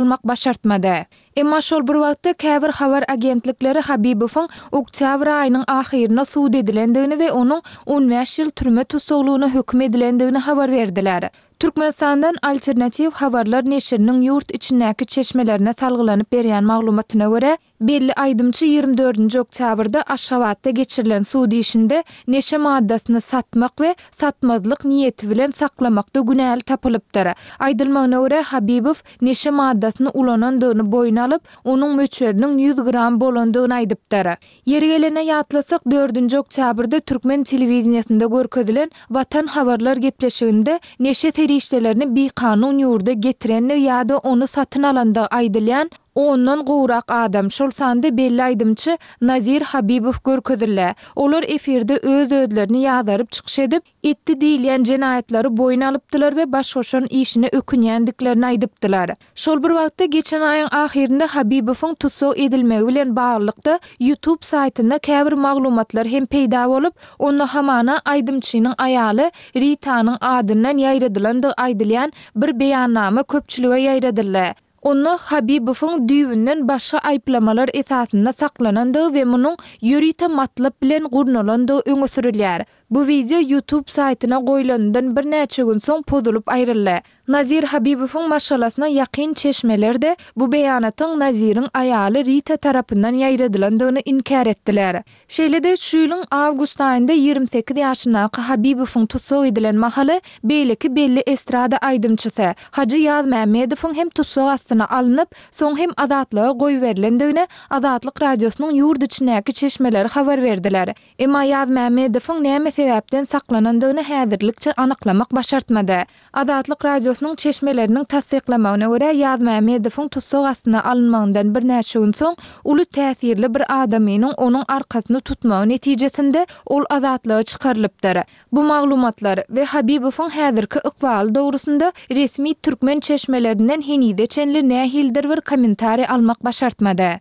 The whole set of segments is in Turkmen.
almak başartmady. Emma şol bir wagtda käbir habar agentlikleri Habibowyň oktýabr aýynyň ahyrynda sud edilendigini we onuň 15 ýyl türme tussaglygyna höküm edilendigini habar berdiler. Türkmenistandan Alternatiw habarlar neşiriniň ýurt içindäki çeşmelerine salgylanyp berýän maglumatyna görä, Belli aýdymçy 24-nji oktýabrda Aşgabatda geçirilen sud işinde neşe maddasyny satmak we satmazlyk niýeti bilen saklamakda günäli tapylypdyr. Aýdylmagyna görä, Habibow neşe maddasyny ulanandygyny boýun alyp, onuň möçberiniň 100 gram bolandygyny aýdypdyr. Ýeri gelende ýatlasak, dördünji oktýabrda türkmen telewideniýesinde görkezilen Watan habarlar gepleşiginde neşe serişdelerini bikanun ýurda getirendigi ýa-da ony satyn alandygy aýdylýan ondan gowrak adam, şol sanda belli aýdymçy Nazir Habibow görkezildi. Olar efirde öz-özlerini ýazaryp çykyş edip, etdi diýilýän jenaýatlary boýun alypdylar we baş goşan işine ökünýändiklerini aýdypdylar. Şol bir wagtda, geçen aýyň ahyrynda Habibowyň tussag edilmegi bilen baglylykda YouTube saýtynda käbir maglumatlar hem peýda bolup, onda hamana aýdymçynyň aýaly Ritanyň adyndan ýaýradylandygy aýdylýan bir beýannama köpçülige ýaýradyldy. Onda Habibowyň düýbünden başga aýyplamalar esasynda saklanandygy we munuň ýörite matlap bilen gurnalandygy öňe sürülýär. Bu wideo YouTube saýtyna goýlanyndan birnäçe gün soň pozulyp aýryldy. Nazir Habibowyň maşgalasyna ýakyn çeşmeler-de bu beýanatyň Naziriň aýaly Rita tarapyndan ýaýradylandygyny inkär etdiler. Şeýle-de, şu ýylyň awgust aýynda 28 ýaşyndaky Habibowyň tussag edilen mahaly beýleki belli estrada aýdymçysy Hajy Ýazmämmedowyň hem tussag astyna alnyp, soň hem azatlyga goýberilendigini Azatlyk Radiosynyň ýurt içindäki çeşmeleri habar berdiler. Emma Ýazmämmedowyň näme sebäpden saklanandygyny häzirlikçe anyklamak başartmady. Azatlyk Radiosynyň çeşmeleriniň tassyklamagyna görä, Ýazmämmedowyň tussag astyna alynmagyndan birnäçe gün soň, uly täsirli bir adamynyň onuň arkasyny tutmagy netijesinde ol azatlyga çykarylypdyr. Bu maglumatlar we Habibowyň häzirki ykbaly dogrusynda resmi türkmen çeşmelerinden henize çenli nähilidir bir kommentariý almak başartmady.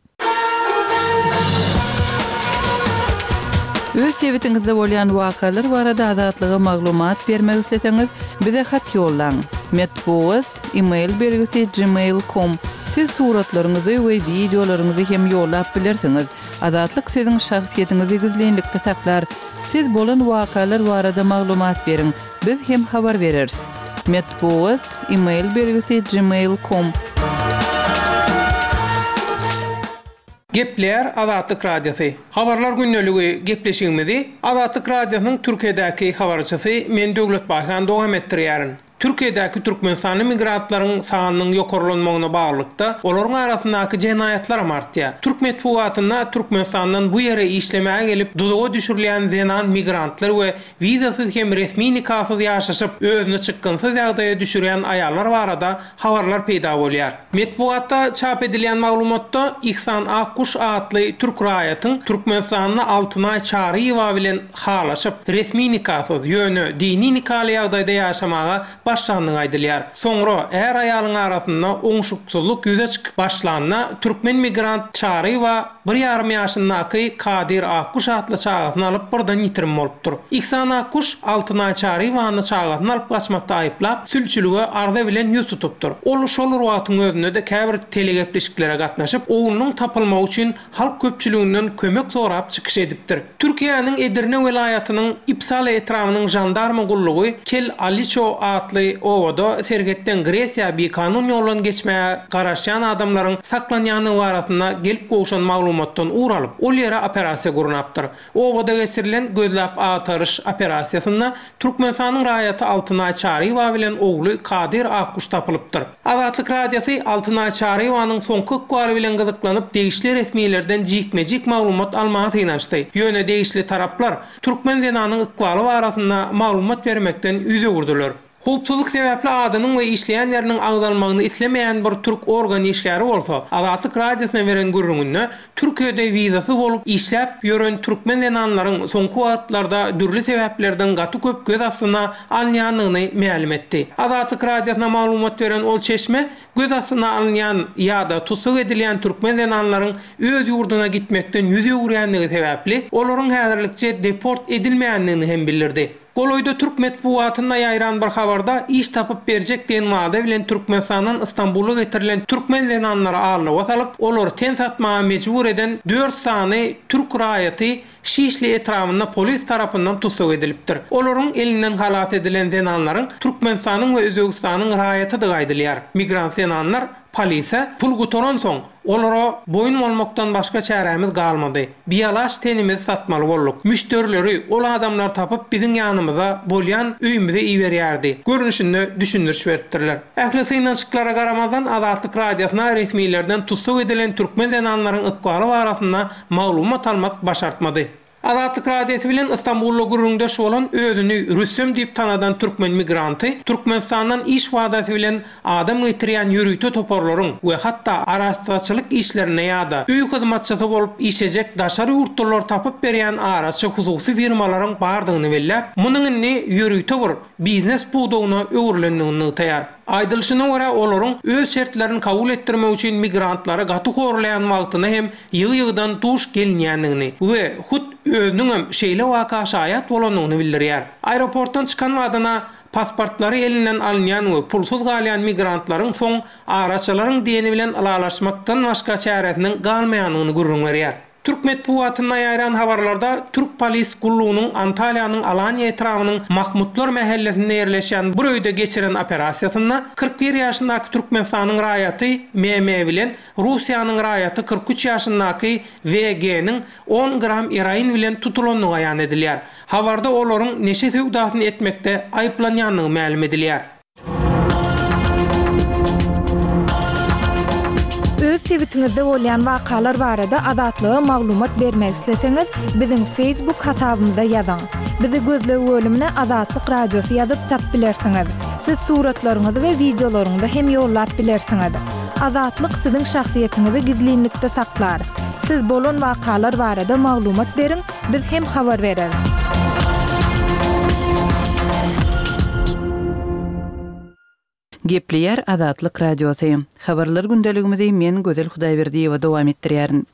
Öz sebitiňizde bolýan wakalar barada Azatlyga maglumat bermek isleseňiz, bize hat ýollaň. Metbugat, e-mail belgisi gmail com. Siz suratlaryňyzy we wideolaryňyzy hem ýollap bilersiňiz. Azatlyk siziň şahsyýetiňizi gizlinlikde saklar. Siz bolan wakalar barada maglumat beriň, biz hem habar bereris. Metbugat, e-mail belgisi gmail com. Gepleýär Azatlyk Radiosy. Habarlar gündeligi gepleşigimizi Azatlyk Radiosynyň Türkiýedäki habarçysy men Döwlet Baýhan dowam etdirýärin. Türkiýedäki türkmenistanly migrantlaryň sanynyň ýokarlanmagyna baglylykda, olaryň arasyndaky jenaýatlaram artýar. Türk metbugatynda Türkmenistandan bu ýere işlemäge gelip duzaga düşürilýän zenan migrantlar we Wizasyz hem resmi nikasyz ýaşaşyp, özüni çykgynsyz ýagdaýa düşürýän aýallar barada habarlar peýda bolýar. Metbugatda çap edilýän maglumatda Ihsan Akguş atly türk raýatyň Türkmenistanda Altynaý Çaryýewa bilen halaşyp, resmi nikasyz, ýöne dini nikaly ýagdaýda ýaşamaga başlandygy aýdylýar. Soňra är-aýalyň arasynda oňşuksyzlyk ýüze çykyp başlanda, türkmen migrant Çaryýewa bir ýarym ýaşyndaky Kadyr Akguş atly çagasyny alyp birden ýitirim bolupdyr. Ihsan Akguş Altynaý Çaryýewany çagasyny alyp gaçmakda aýyplap, sülçülige arza bilen ýüz tutupdyr. Ol şol bir wagtyň özünde-de käbir telegepleşiklere gatnaşyp, oglunyň tapylmagy üçin halk köpçüliginden kömek sorap çykyş edipdir. Türkiýäniň Edirne welaýatynyň Ipsala etrabynyň žandarma gullugy Kel Aliço atly obada serhetden Gresiýa bikanun ýoldan geçmäge garaşýan adamlaryň saklanýandygy barasynda gelip gowşan maglumatdan ugur alyp, ol ýere operasiýa gurnapdyr. Obada geçirilen gözläp-agtaryş operasiýasynda Türkmenistanyň raýaty Altynaý Çaryýewa bilen ogly Kadyr Akguş tapylypdyr. Azatlyk Radiosy Altynaý Çaryýewanyň soňky ykbaly bilen gyzyklanyp, degişli resmilerden jikme-jik maglumat almaga synanyşdy. Ýöne degişli taraplar türkmen zenanyň ykbaly barasynda maglumat bermekden ýüz öwürdiler. Howpsuzlyk sebäpli adynyň we işleýän ýeriniň agzalmagyny islemeýän bir türk organ işgäri bolsa, Azatlyk Radiosyna beren gürrüňinde Türkiýede wizasyz bolup işläp ýören türkmen zenanlaryň soňky wagtlarda dürli sebäplerden gaty köp göz astyna alynýandygyny mälim etdi. Azatlyk Radiosyna maglumat beren ol çeşme göz astyna alynýan ýa-da tussag edilýän türkmen zenanlaryň öz ýurduna gitmekden ýüz öwürýändigi sebäpli, olaryň häzirlikçe deport edilmeýändigini hem bildirdi. Golaýda türk metbugatynda ýaýran bir habarda iş tapyp berjek diýen wada bilen Türkmenistandan Stambula getirilen türkmen zenanlary aldawa salyp, olary ten satmaga mejbur eden dört sany türk raýaty Şişli etrabynda polis tarapyndan tussag edilipdir. Olaryň elinden halas edilen zenanlaryň Türkmenistanyň we Özbegistanyň raýatydygy aýdylýar. Migrant zenanlar polise pul gutaransoň, olara boýun bolmakdan başga çärämiz galmady. Bialaç tenimizi satmaly bolduk. Müşderileri ol adamlar tapyp biziň ýanymyza, bolýan öýümize iberýärdi. Görnüşinde düşündiriş beripdirler. Ähli synanyşyklara garamazdan Azatlyk Radiosyna resmilerden tussag edilen türkmen zenanlaryň ykbaly barasynda maglumat almak başartmady. Azatlyk Radiosy bilen Ystambulda gürrüňdeş bolan özüni Rüstem diýip tanadan türkmen migranty Türkmenistandan iş wadasy bilen adam getirýän ýörite toparlaryň we hatda arassaçylyk işlerinde ýa-da öý hyzmatçysy bolup işlejek daşary ýurtlular tapyp berýän araçy hususy firmalaryň bardygyny belläp, munuň indi ýörite bir biznes pudagyna öwrülendigini nygtaýar. Aýdylyşyna görä, olaryň öz şertlerini kabul etdirmek üçin migrantlary gaty horlaýan wagtyna hem ýygy-ýygydan duş gelinýändigini we hut özüniňem şeýle waka şaýat bolandygyny bildirýär. Aeroportdan çykan badyna pasportlary elinden alynýan we pulsuz galýan migrantlaryň soň araçylaryň diýeni bilen ylalaşmakdan başga çäresiniň galmaýandygyny gürrüň berýär. Türk metbugatynda ýaýran habarlarda türk polis gullugynyň Antalýanyň Alaniýa etrabynyň Mahmutlar mähellesinde ýerleşýän bir öýde geçiren operasiýasynda 41 ýaşyndaky Türkmenistanyň raýaty MM bilen Russiýanyň raýaty 43 ýaşyndaky WG-niň on gram eroin bilen tutulandygy aýan edilýär. Habarda olaryň neşe söwdasyny etmekde aýyplanýandygy mälim edilýär. Öz sebitiňizde bolýan wakalar barada Azatlyga maglumat bermek isleseňiz, biziň Facebook hasabymyza ýazyň. Bizi gözleg bölümine Azatlyk Radiosy ýazyp tap bilersiňiz. Siz suratlaryňyzy we wideolaryňyzy hem ýollap bilersiňiz. Azatlyk siziň şahsyýetiňizi gizlinlikde saklar. Siz bolan wakalar barada maglumat beriň, biz hem habar bereris. Gepleýär Azatlyk Radiosy. Habarlar gündeligimizi men Gözel Hudaýberdiýewa dowam etdirýärin.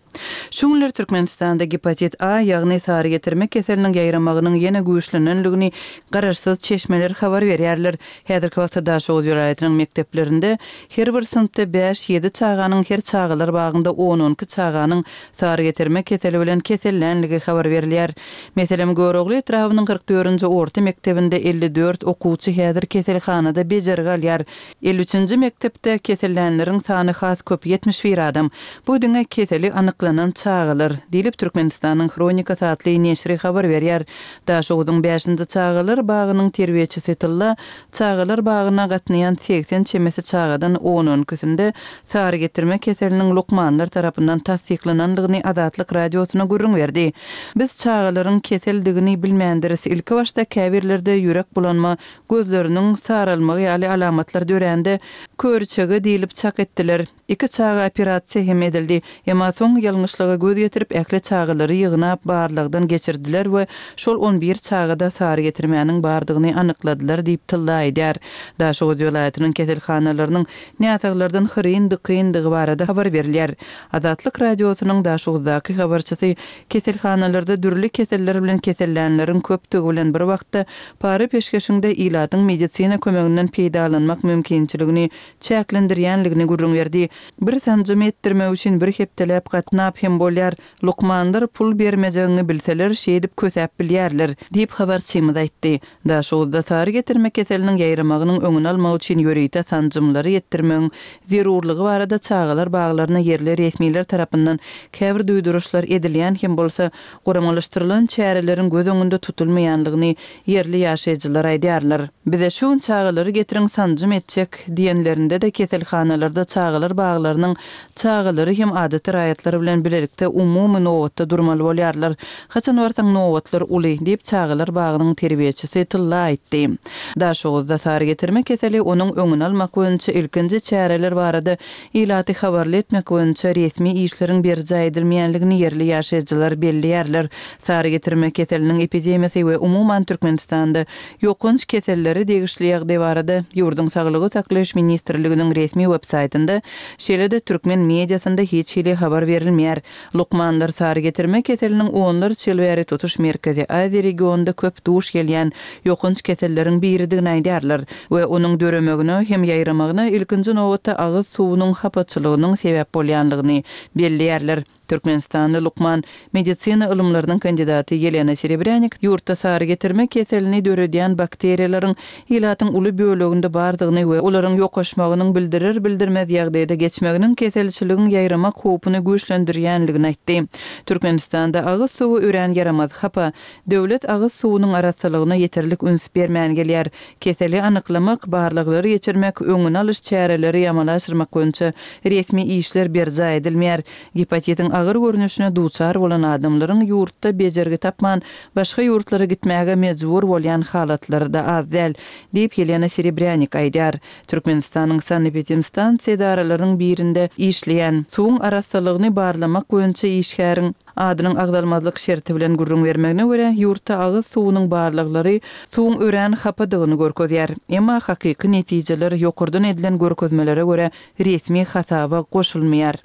Şu günler Türkmenistanda gepatit A, ýagny sary getirme keseliniň ýaýramagynyň ýene güýçlenenligini garaşsyz çeşmeler habar berýärler. Häzirki wagtda Daşoguz welaýatynyň mekdeplerinde her bir synpda bäş-ýedi çaganyň, her çagalar bagynda on-on iki çaganyň sary getirme keseli bilen kesellänligi habar berilýär. Meselem, Görogly etrabynyň 44-nji orta mekdebinde 54 okuwçy häzir keselhanada bejergi alýar. 53-nji mekdepde kesellänleriň sany has köp, 71 adam. Bu diňe keseli anyklanan çagalar, diýlip, Türkmenistanyň Hronikasy atly neşiri habar berýär. Daşoguzyň bäşinji çagalar bagynyň terbiýeçisi Tylla çagalar bagyna gatnaýan 80 çemesi çagadan on-on ikisinde sary getirme keseliniň lukmanlar tarapyndan tassyklanandygyny Azatlyk Radiosyna gürrüň berdi. Biz çagalaryň keseldigini bilmändiris. Ilkibaşda käbirlerde ýürek bulanma, gözleriniň saralmagy ýaly alamatlar dörände, köriçege diýlip çak etdiler. Iki çaga operasiýa hem edildi. Emma soň ýalňyşlyga göz ýetirip, ähli çagalary ýygnap, barlagdan geçirdiler we şol on bir çagada sary getirmäniň bardygyny anykladylar diýip, Tylla aýdýar. Daşoguz welaýatynyň keselhanalarynyň näsaglardan hyryn-dykyndygy barada habar berilýär. Azatlyk Radiosynyň Daşoguzdaky habarçysy keselhanalarda dürli keseller bilen kesellänleriň köpdügi bilen bir wagtda, para-peşgeşiň-de ilatyň medisina kömeginden peýdalanmak mümkinçiligini çäklendirýänligini gürrüň berdi. Bir sanjym etdirmek üçin bir hepdeläp gatnap hem bolýar. Lukmanlar pul bermejegiňi bilseler, şeýdip kösäp bilýärler, diýip, habarçymyz aýtdy. Daşoguzda sary getirme keseliniň ýaýramagynyň öňüni almak üçin ýörite sanjymlary etdirmegiň zerurlygy barada çagalar baglaryna ýerli resmiler tarapyndan käbir duýduryşlar edilýän hem bolsa, guramalaşdyrylan çäreleriň göz öňünde tutulmaýanlygyny ýerli ýaşaýjylar aýdýarlar. Bize şu gün çagalary getiriň sanjym etjek diýenlerinde-de keselhanalarda çagalar baglarynyň çagalary hem adaty raýatlar bilen bilelikde umumy nobatda durmaly bolýarlar. Haçan barsaň nobatlar uly, diýip çagalar bagynyň terbiýeçisi Tylla aýtdy. Daşoguzda sary getirme keseli, onuň öňüni almak boýunça ilkinji çäreler barada ilaty habarly etmek boýunça resmi işleriň berjaý edilmeýänligini ýerli ýaşaýjylar belleýärler. Sary getirme keseliniň epidemiýasy we umuman Türkmenistanda ýokanç kesellere degişli ýagdaý barada ýurduň Saglygy saklaýyş ministrliginiň resmi websaýtynda, şeýle-de türkmen mediasynda hiç hili habar berilmeýär. edilmeýär. Lukmanlar sary getirme keseliniň onlarça ýyl bäri tutuş Merkezi Aziýa regionynda köp duş gelýän ýokanç keselleriň biridigini aýdýarlar we onuň döremegine hem ýaýramagyna ilkinji nobatda agyz suwunyň hapaçylygynyň sebäp bolýanlygyny belleýärler. Türkmenistanly lukman, medisina ylymlarynyň kandidaty Ýelena Serebrýanik ýurtda sary getirme keselini döredýän bakteriýalaryň ilatyň uly böleginde bardygyny we olaryň ýokaşmagynyň bildirer-bildirmez ýagdaýda geçmeginiň keselçiligiň ýaýramak howpuny güýçlendirýänligini aýtdy. Türkmenistanda agyz suwy örän ýaramaz, hapa. Döwlet agyz suwunyň arassalygyna ýeterlik üns bermän gelýär. Keseli anyklamak, barlaglary geçirmek, öňüni alyş çäreleri amala aşyrmak boýunça resmi işler berjaý edilmeýär. Gepatitiň agyr görnüşine duçar bolan adamlaryň ýurtda bejergi tapman, başga ýurtlara gitmäge mejbur bolýan halatlary-da az däl, diýip, Ýelena Serebrýanik aýdýar. Türkmenistanyň sanepidemstansiýa edaralarynyň birinde işleýän, suwuň arassalygyny barlamak boýunça işgäriň adynyň agzalmazlyk şerti bilen gürrüň bermegine görä, ýurtda agyz suwunyň barlaglary suwuň örän hapadygyny görkezýär. Emma hakyky netijeler ýokardan edilen görkezmelere görä resmi hasaba goşulmaýar.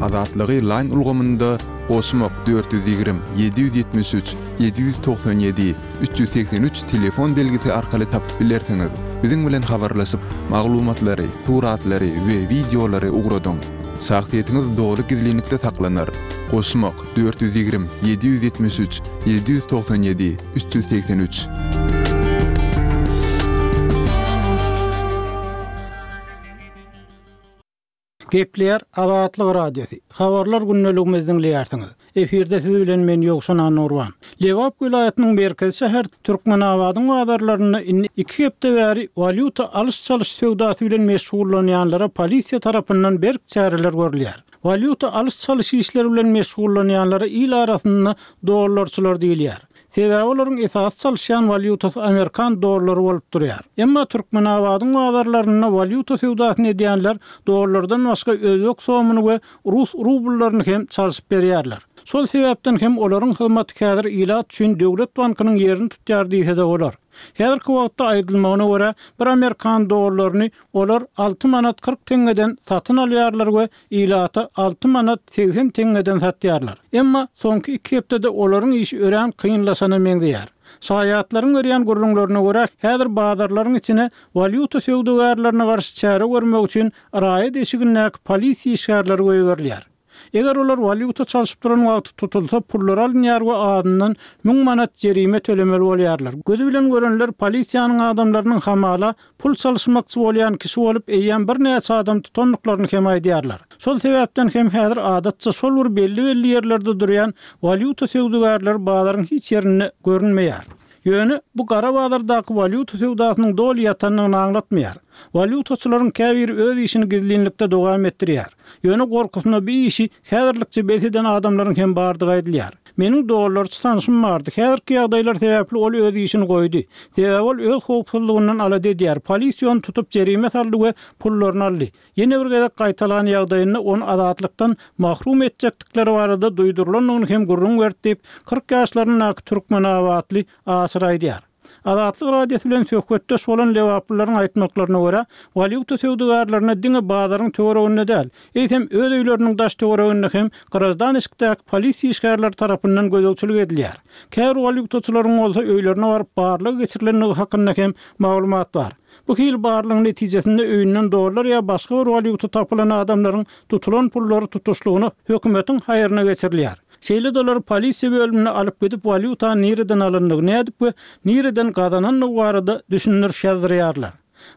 Azatlygy Line ulgamynda goşmak 420 773 797 383 telefon belgisi arkaly tapyp bilersiňiz. Biziň bilen habarlaşyp, maglumatlary, suratlary we wideolary ugradyň. Şahsyýetiňiz doly gizlinlikde saklanar. Goşmak 420 773 797 383. Gepleýär Azatlyk Radiosy. Habarlar gündeligimizi diňleýärsiňiz. Efirde siz bilen men Ýowşan Annagurban. Lebap welaýatynyň merkezi şäheri Türkmenabadyň bazarlarynda indi iki hepde bäri walýuta alyş-çalyş söwdasy bilen meşgullanýanlara polisiýa tarapyndan berk çäreler görülýär. Walýuta alyş-çalyş işleri bilen meşgullanýanlara il arasynda dollarçylar diýilýär. Sebäbi olaryň esasy çalyşýan walýutasy amerikan dollary bolup durýar. Emma Türkmenabadyň bazarlarynda walýuta söwdasyny edýänler dollardan başga özbek somyny we rus rubllaryny hem çalşyp berýärler. Şol sebäpden hem olaryň hyzmaty häzir ilat üçin döwlet bankynyň ýerini tutýar diýse-de bolar. Häzirki wagtda aýdylmagyna görä, bir amerikan dollaryny olar alty manat 40 teňňeden satyn alýarlar we ilata alty manat 80 teňňeden satýarlar. Emma soňky iki hepdede olaryň işi örän kynlaşana meňzeýär. Şaýatlaryň berýän gürrüňlerine görä, häzir bazarlaryň içine walýuta söwdagärlerine garşy çäre görmek üçin raýat eşigindäki polisiýa işgärleri goýberilýär. Eger olar walýuta çalşyp duran wagty tutulsa, pullary alynýar we azyndan müň manat jerime tölemeli bolýarlar. Gözi bilen görenler polisiýanyň adamlarynyň hamala pul çalyşmakçy bolýan kişi bolup eýýäm birnäçe adam tutandyklaryny hem aýdýarlar. Şol sebäpden hem häzir adatça şol bir belli-belli ýerlerde durýan walýuta söwdagärleri bazaryň hiç ýerinde görünmeýär. Ýöne bu gara bazardaky walýuta söwdasynyň doly ýatandygyny aňlatmaýar. Walýutaçylaryň käbiri öz işini gizlinlikde dowam etdirýär. Ýöne gorkusyna bu işi häzirlikçe bes eden adamlaryň hem bardygy aýdylýar. Meniň dollarçy tanşym bardy. Häzirki ýagdaýlar sebäpli ol öz işini goýdy. Sebäbi ol öz howpsuzlygyndan alada edýär. Polisiýa ony tutup jerime saldy we pullaryny aldy. Ýene bir gezek gaýtalan ýagdaýynda ony azatlykdan mahrum etjekdikleri barada duýdurylandygyny hem gürrüň berdi diýip, 40 ýaşlaryndaky türkmenabatly Aşyr aýdýar. Azatlyk Radiosy bilen söhbetdeş bolan lebaplylaryň aýtmaklaryna görä, walýuta söwdagärlerine diňe bazaryň töwereginde däl, eýsem öz öýleriniň daş-töwereginde hem graždan eşikdäki polisiýa işgärleri tarapyndan gözegçilik edilýär. Käbir walýutaçylaryň bolsa öýlerine baryp barlag geçirilendigi hakynda hem maglumat bar. Bu hili barlagyň netijesinde öýünden dollar ýa başga bir walýuta tapylan adamlaryň tutulan pullary tutuşlygyna hökümetiň haýryna geçirilýär. Şeýle-de olary polisiýa bölümine alyp gidip walýutany nireden alandygy, nädip we nireden gazanandygy barada düşündiriş ýazdyrýarlar.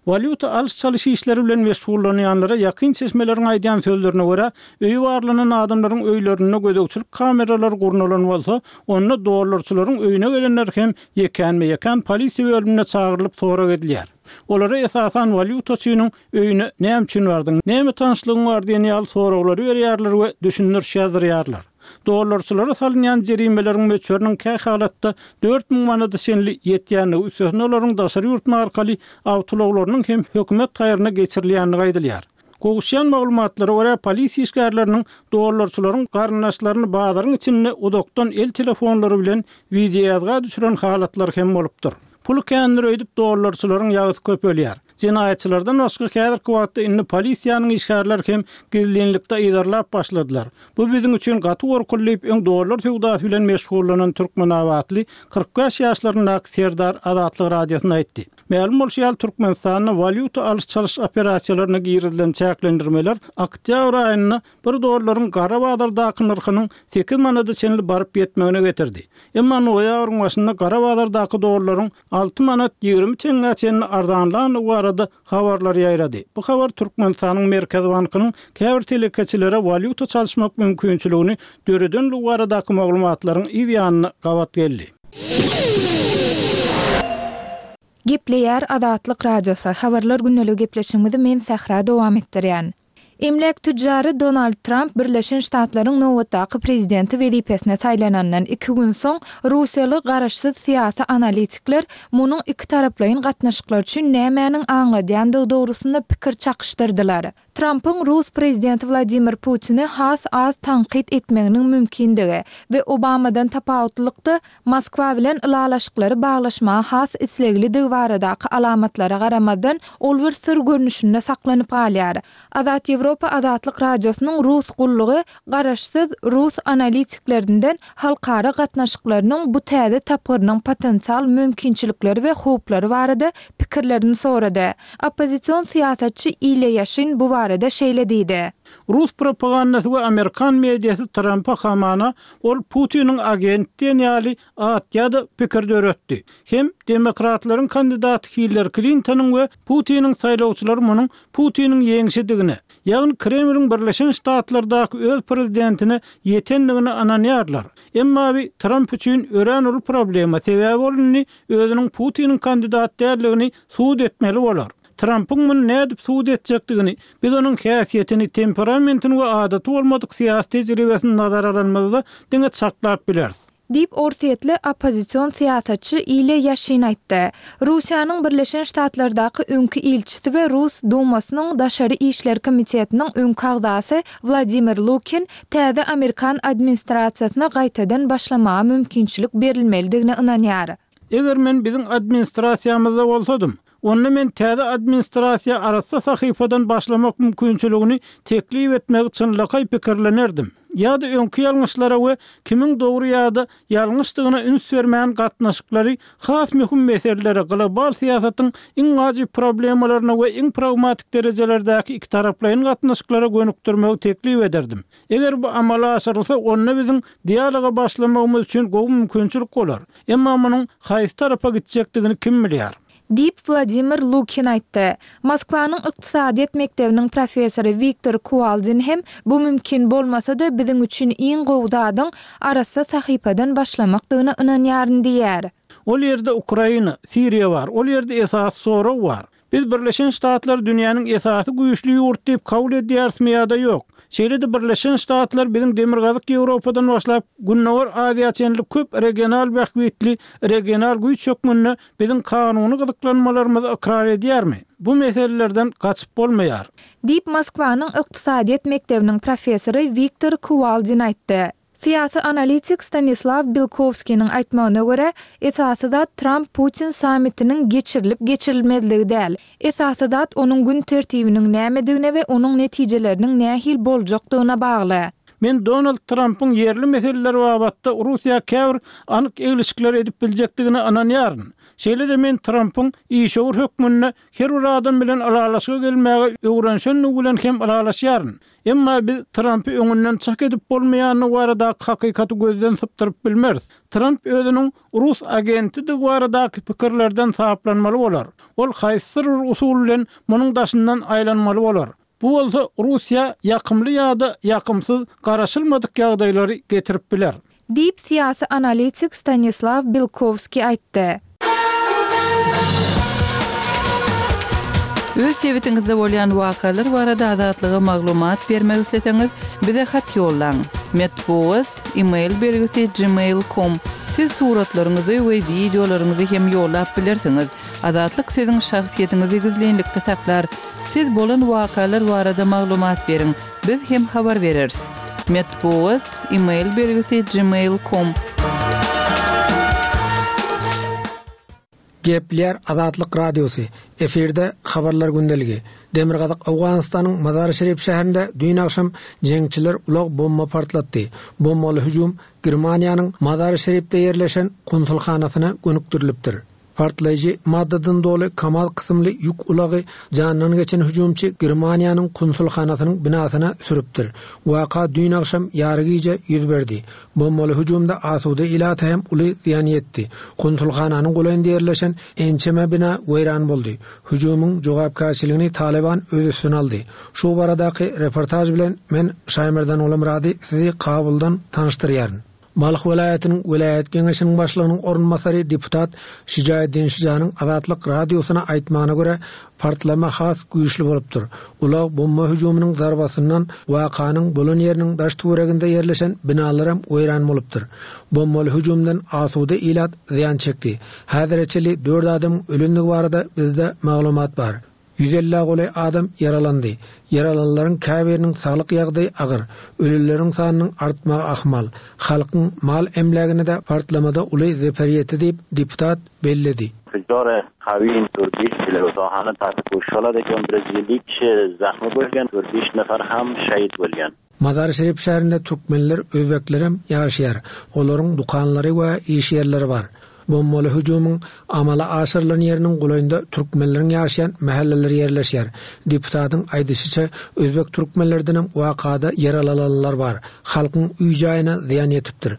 Walýuta alyş-çalyş işleri bilen meşgullanýanlara ýakyn çeşmeleriň aýdýan sözlerine görä, öýi barlanan adamlaryň öýlerinde gözegçilik kameralary gurnalan bolsa, onda dollarçylaryň öýüne gelenler hem Ýekänme-ýekän polisiýa bölümine çagyrylyp sorag edilýär. Olara esasan walýutaçynyň öýüne näme üçin bardyň, näme tanyşlygyň bar diýen ýaly soraglary berýärler we düşündiriş ýazdyrýarlar. Dollarçylara salynýan jerimeleriň möçberiniň kähalatda 4000 manada çenli ýetýändigi, üstesine olaryň daşary ýurt markaly awtoulaglarynyň hem hökümet haýryna geçirilýändigi aýdylýar. Gowuşýan maglumatlara görä, polisiýa işgärleriniň dollarçylaryň garyndaşlaryny bazaryň içinde uzakdan el telefonlary bilen wideoýazga düşüren halatlary hem bolupdyr. Puly kändir öýdüp dollarçylaryň ýagysy köpelýär. Jenaýatçylardan başga häzirki wagtda indi polisiýanyň işgärleri hem gizlinlikde yzarlap başladylar. Bu biziň üçin gaty gorkuly diýip, öň dollar söwdasy bilen meşgullanan türkmenabatly 45 ýaşlaryndaky Serdar Azatlyk Radiosyna aýtdy. Mälim bolşy ýaly, Türkmenistanda walýuta alyş-çalyş operasiýalaryna girizilen çäklendirmeler oktýabr aýynda bir dollaryň gara bazardaky nyrhynyň sekiz manada çenli baryp ýetmegine getirdi. Emma noýabryň başynda gara bazardaky dollaryň alty manat 20 teňňä çenli arzanlandygy barada habarlar ýaýrady. Bu habar Türkmenistanyň Merkezi bankynyň käbir telekeçilere walýuta çalyşmak mümkinçiligini döredenligi baradaky maglumatlaryň yz ýanyna gabat geldi. Gepleýär Azatlyk Radiosy, Habarlar gündeligi gepleşigimizi men Sähra dowam etdirýän. Emläk tütjary Donald Tramp Birleşen Ştatlaryň nobatdaky prezidenti wezipesine saýlanandan iki gün soň, russiýaly garaşsyz syýasy analitikler munuň ikitaraplaýyn gatnaşyklar üçin nämäniň aňladýandygy dogrusynda pikir çakyşdyrdylar. Trampyň rus prezidenti Wladimir Putini has az tankyt etmeginiň mümkindigi we Obamadan tapawutlylykda Moskwa bilen ylalaşyklary baglaşmaga has isleglidigi baradaky alamatlara garamazdan, ol bir syr görnüşinde saklanyp galýar. Azat Ýewropa Azatlyk Radiosynyň Rus gullugy garaşsyz rus analitiklerinden halkara gatnaşyklarynyň bu täze tapgyrynyň potensial mümkinçilikleri we howplary barada pikirlerini sorady. Oppozision syýasatçy Ilýa Ýaşin bu barada şeýle diýdi. Rus propagandasy we amerikan mediasy Trampa hamana ol Putiniň agenti diýen ýaly at ýa-da pikir döretdi. Hem demokratlaryň kandidaty Hillari Klintonyň we Putiniň saýlawçylary munuň Putiniň ýeňşidigine, ýagny Kremliň Birleşen Ştatlardaky öz prezidentine ýetendigine ynanýarlar. Emma bi Tramp üçin örän uly problema, sebäbi ol indi özüniň Putiniň kandidat däldigini subut etmeli bolar. Trampyň muny nädip subut etjekdigini, biz onuň häsiýetini, temperamentini we adaty bolmadyk syýasy tejribesini nazara alanymyzda diňe çaklap bileris. Diýip, orsýetli oppozision syýasatçy Ilýa Ýaşin aýtdy. Russiýanyň Birleşen Ştatlardaky öňki ilçisi we Rus Dumasynyň Daşary işler komitetiniň öňki agzasy Wladimir Lukin täze amerikan administrasiýasyna gaýtadan başlamaga mümkinçilik berilmelidigine ynanýar. Eger men biziň administrasiýamyzda bolsadym, onda men täze administrasiýa arassa sahypadan başlamak mümkinçiligini teklip etmegi çynlakaý pikirlenerdim. Ýa-da öňki ýalňyşlara we kimiň dogry ýa-da ýalňyşdygyna üns bermän gatnaşyklary has möhüm meselelere, global syýasatyň iň wajyp problemalaryna we iň pragmatik derejelerdäki ikitaraplaýyn gatnaşyklara gönükdirmegi teklip ederdim. Eger bu amala aşyrylsa, onda biziň dialoga başlamagymyz üçin gowy mümkinçilik bolar. Emma munuň haýsy tarapa gitjekdigini kim bilýär? Diýip, Wladimir Lukin aýtdy. Moskwanyň ykdysadyýet mekdebiniň professory Wiktor Kuwaldin hem bu mümkin bolmasa-da, biziň üçin iň gowy zadyň arassa sahypadan başlamakdygyna ynanýaryn diýýär. Ol ýerde Ukraina, Siriýa bar, ol ýerde esasy sorag bar. Biz Birleşen Ştatlary dünýäniň esasy güýçli ýurdy diýip kabul edýärismi ýa-da ýok? Şeýle-de Birleşen Ştatlar biziň Demirgazyk Ýewropadan başlap Gündogar Aziýa çenli köp regional bähbitli regional güýç hökmünde biziň kanuny gyzyklanmalarymyzy ykrar edýärmi? Bu meselelerden gaçyp bolmaýar. Diýip, Moskwanyň ykdysadyýet mekdebiniň professory Wiktor Kuwaldin aýtdy. Syýasy analitik Stanislaw Belkowskiniň aýtmagyna görä, esasy zat Tramp-Putin sammitiniň geçirilip-geçirilmezligi däl. Esasy zat onuň gün tertibiniň nämedigine we onuň netijeleriniň nähili boljakdygyna bagly. Men Donald Trampyň ýerli meseleler babatda Russiýa käbir anyk eglişikler edip biljekdigine ynanýaryn. Şeýle-de men Trampyň işewür hökmünde her bir adam bilen ylalaşyga gelmäge öwrenişendigi bilen hem ylalaşýaryn. Emma biz Trampy öňünden çak edip bolmaýandygy baradaky hakykaty gözden sypdyryp bilmeris. Tramp özüniň rus agentidigi baradaky pikirlerden saplanmaly bolar. Ol haýsydyr bir usul bilen munuň daşyndan aýlanmaly bolar. Bu bolsa Russiýa ýakymly ýa-da ýakymsyz garaşylmadyk ýagdaýlary getirip biler. Diýip, syýasy analitik Stanislaw Belkowskiý aýtdy. Öz sebitiňizde bolýan wakalar barada Azatlyga maglumat bermek isleseňiz, bize hat ýollaň. Metbugat, e-mail belgisi gmail com. Siz suratlaryňyzy we wideolaryňyzy hem ýollap bilersiňiz. Azatlyk siziň şahsyýetiňizi gizlinlikde saklar. Siz bolan wakalar barada maglumat beriň. Biz hem habar bereris. Metbugat, e-mail belgisi gmail com. Gepleýär Azatlyk Radiosy, efirde Habarlar gündeligi. Demirgazyk Owganystanyň Mazar-i-Şerif şäherinde düýn agşam jeňçiler ulag bomba partlatdy. Bombaly hüjüm Germaniýanyň Mazar-i-Şerifde ýerleşen konsulhanasyna gönükdirilipdir. Partlaýjy maddadan doly Kamaz kysymly ýük ulagy janyndan geçen hüjümçi Germaniýanyň konsulhanasynyň binasyna sürüpdir. Waka düýn agşam ýarygije ýüz berdi. Bombaly hüjümde asuda ilata hem uly zyýan ýetdi. Konsulhananyň golaýynda ýerleşen ençeme bina weýran boldy. Hüjümiň jogapkärçiligini Talyban öz üstüne aldy. Şu baradaky reportaž bilen men Şaýmerdan Gulamyrady sizi Kabuldan tanyşdyrýaryn. Balh welaýatynyň welaýat geňeşiniň başlygynyň orunbasary deputat Şijaeddin Şijanyň Azatlyk Radiosyna aýtmagyna görä, partlama has güýçli bolupdyr. Ulag bomba hüjüminiň zarbasyndan wakanyň bolan ýeriniň daş-töwereginde ýerleşen binalaram weýran bolupdyr. Bombaly hüjümden asuda ilat zyýan çekdi. Häzire çenli dört adamyň ölendigi barada bizde maglumat bar. Ýüz ellä golaý adam ýaralandy. Ýaralanlaryň käbiriniň saglyk ýagdaýy agyr. Ölüleriň sanynyň artmagy ahmal. Halkyň mal-emlägine-de partlamada uly zeper ýetdi diýip, deputat belledi. Mazar-i-Şerif şäherinde türkmenler, özbeklerem ýaşaýar. Olaryň dükanlary we iş ýerleri bar. Bombaly hüjümiň amala aşyrylan ýeriniň golaýynda türkmenleriň ýaşaýan mähelleleri ýerleşýär. Deputatyň aýdyşyça, özbek türkmenlerdenem wakada ýaralalanlar bar. Halkyň öý-jaýyna zyýan ýetipdir.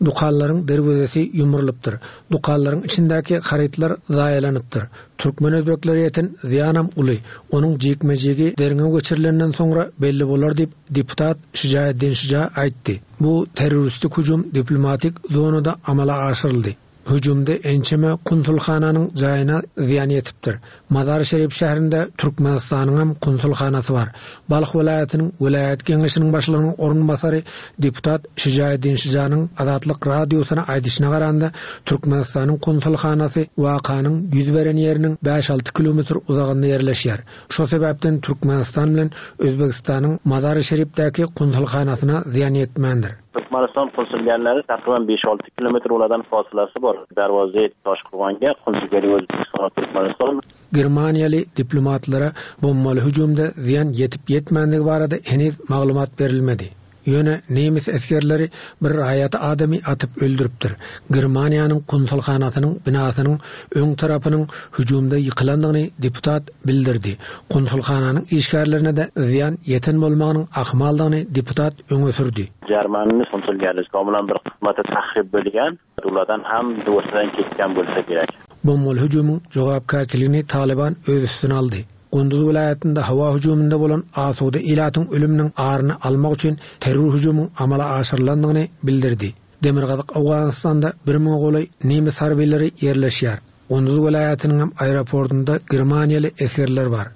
Dükanlaryň derwezesi ýumrulypdyr. Dükanlaryň içindäki harytlar zaýalanypdyr. Türkmen-özbeklere ýeten zyýanam uly. Onuň jikme-jigi derňew geçirilenden soňra belli bolar diýip, deputat Şijaeddin Şija aýtdy. Bu terroristik hüjüm diplomatik zonada amala aşyryldy. Hüjümde ençeme konsulhananyň jaýyna zyýan ýetipdir. Mazar-i-Şerif şäherinde Türkmenistanyňam konsulhanasy bar. Balh welaýatynyň welaýat geňeşiniň başlygynyň orunbasary deputat Şijaeddin Şijanyň Azatlyk Radiosyna aýdyşyna garanda, Türkmenistanyň konsulhanasy wakanyň ýüz beren ýeriniň bäş-alty kilometr uzagynda ýerleşýär. Şo sebäpden Türkmenistan bilen Özbegistanyň Mazar-i-Şerifdäki konsulhanasyna zyýan ýetmändir. Türkmenistan konsulgänleri takryban beş-alty kilometr olardan fasylasy bar. Darwaza Toşkurganga konsulgäri Özbegistan we Türkmenistan. Germaniýaly diplomatlara bombaly hüjümde zyýan ýetip-ýetmändigi barada heniz maglumat berilmedi. Ýöne nemes esgerleri bir raýat adamy atyp öldüripdir. Germaniýanyň konsulhanasynyň binasynyň öň tarapynyň hüjümde ýykylandygyny deputat bildirdi. Konsulhananyň işgärlerine-de zyýan ýeten bolmagynyň ahmaldygyny deputat öňe sürdi. Germaniýanyň konsulgärligi bilen bir kysmaty tahrip bolgan. Ulardan ham döwürden ketgan bolsa gerek. Bombaly hüjümiň jogapkärçiligini Talyban öz üstüne aldy. Gunduz welaýatynda howa hüjüminde bolan asuda ilatyň ölüminiň aryny almak üçin terror hüjümiň amala aşyrylandygyny bildirdi. Demirgazyk Owganystanda bir müňe golaý nemes harbylary ýerleşýär. Gunduz welaýatynyňam aeroportunda germaniýaly esgerler bar.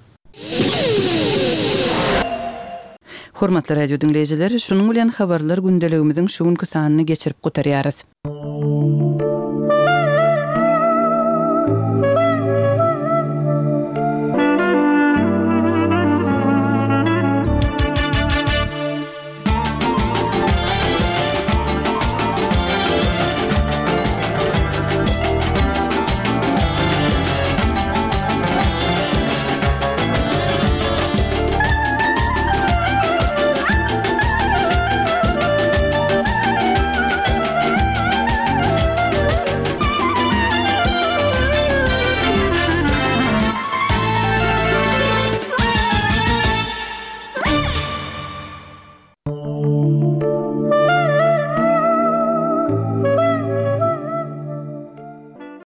Hormatly radio diňleýjiler, şunuň bilen Habarlar gündeligimiziň şu günki sanyny geçirip gutarýarys.